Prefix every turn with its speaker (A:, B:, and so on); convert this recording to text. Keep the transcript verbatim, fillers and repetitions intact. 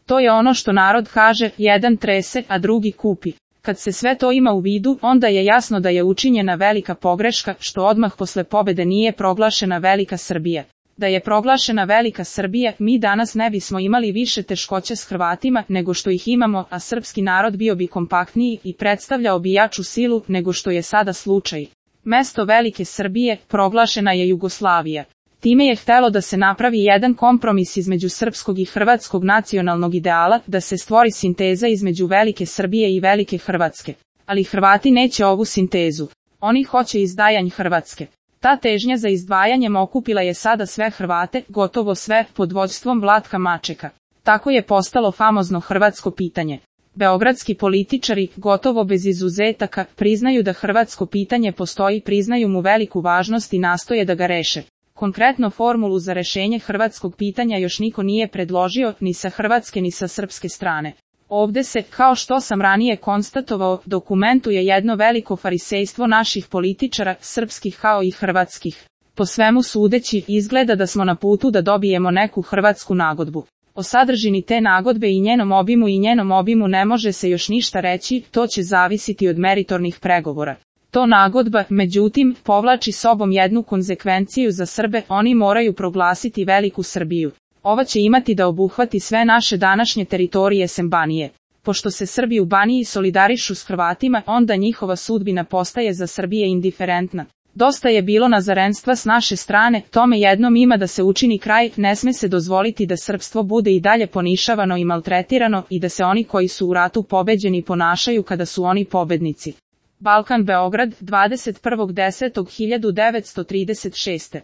A: To je ono što narod kaže, jedan trese, a drugi kupi. Kad se sve to ima u vidu, onda je jasno da je učinjena velika pogreška, što odmah posle pobede nije proglašena Velika Srbija. Da je proglašena Velika Srbija, mi danas ne bismo imali više teškoće s Hrvatima nego što ih imamo, a srpski narod bio bi kompaktniji i predstavljao bi jaču silu nego što je sada slučaj. Mesto Velike Srbije proglašena je Jugoslavija. Time je htelo da se napravi jedan kompromis između srpskog i hrvatskog nacionalnog ideala, da se stvori sinteza između Velike Srbije i Velike Hrvatske. Ali Hrvati neće ovu sintezu. Oni hoće izdvajanje Hrvatske. Ta težnja za izdvajanjem okupila je sada sve Hrvate, gotovo sve, pod vođstvom Vlatka Mačeka. Tako je postalo famozno hrvatsko pitanje. Beogradski političari, gotovo bez izuzetaka, priznaju da hrvatsko pitanje postoji, priznaju mu veliku važnost i nastoje da ga reše. Konkretno formulu za rešenje hrvatskog pitanja još niko nije predložio, ni sa hrvatske ni sa srpske strane. Ovde se, kao što sam ranije konstatovao, dokumentuje jedno veliko farisejstvo naših političara, srpskih kao i hrvatskih. Po svemu sudeći, izgleda da smo na putu da dobijemo neku hrvatsku nagodbu. O sadržini te nagodbe i njenom obimu i njenom obimu ne može se još ništa reći, to će zavisiti od meritornih pregovora. To nagodba, međutim, povlači sobom jednu konzekvenciju za Srbe, oni moraju proglasiti Veliku Srbiju. Ova će imati da obuhvati sve naše današnje teritorije sem Banije. Pošto se Srbi u Baniji solidarišu s Hrvatima, onda njihova sudbina postaje za Srbije indiferentna. Dosta je bilo nazarenstva s naše strane, tome jednom ima da se učini kraj, ne sme se dozvoliti da srpstvo bude i dalje ponišavano i maltretirano i da se oni koji su u ratu pobeđeni ponašaju kada su oni pobednici. Balkan Beograd, dvadeset prvog desetog hiljadu devetsto trideset šeste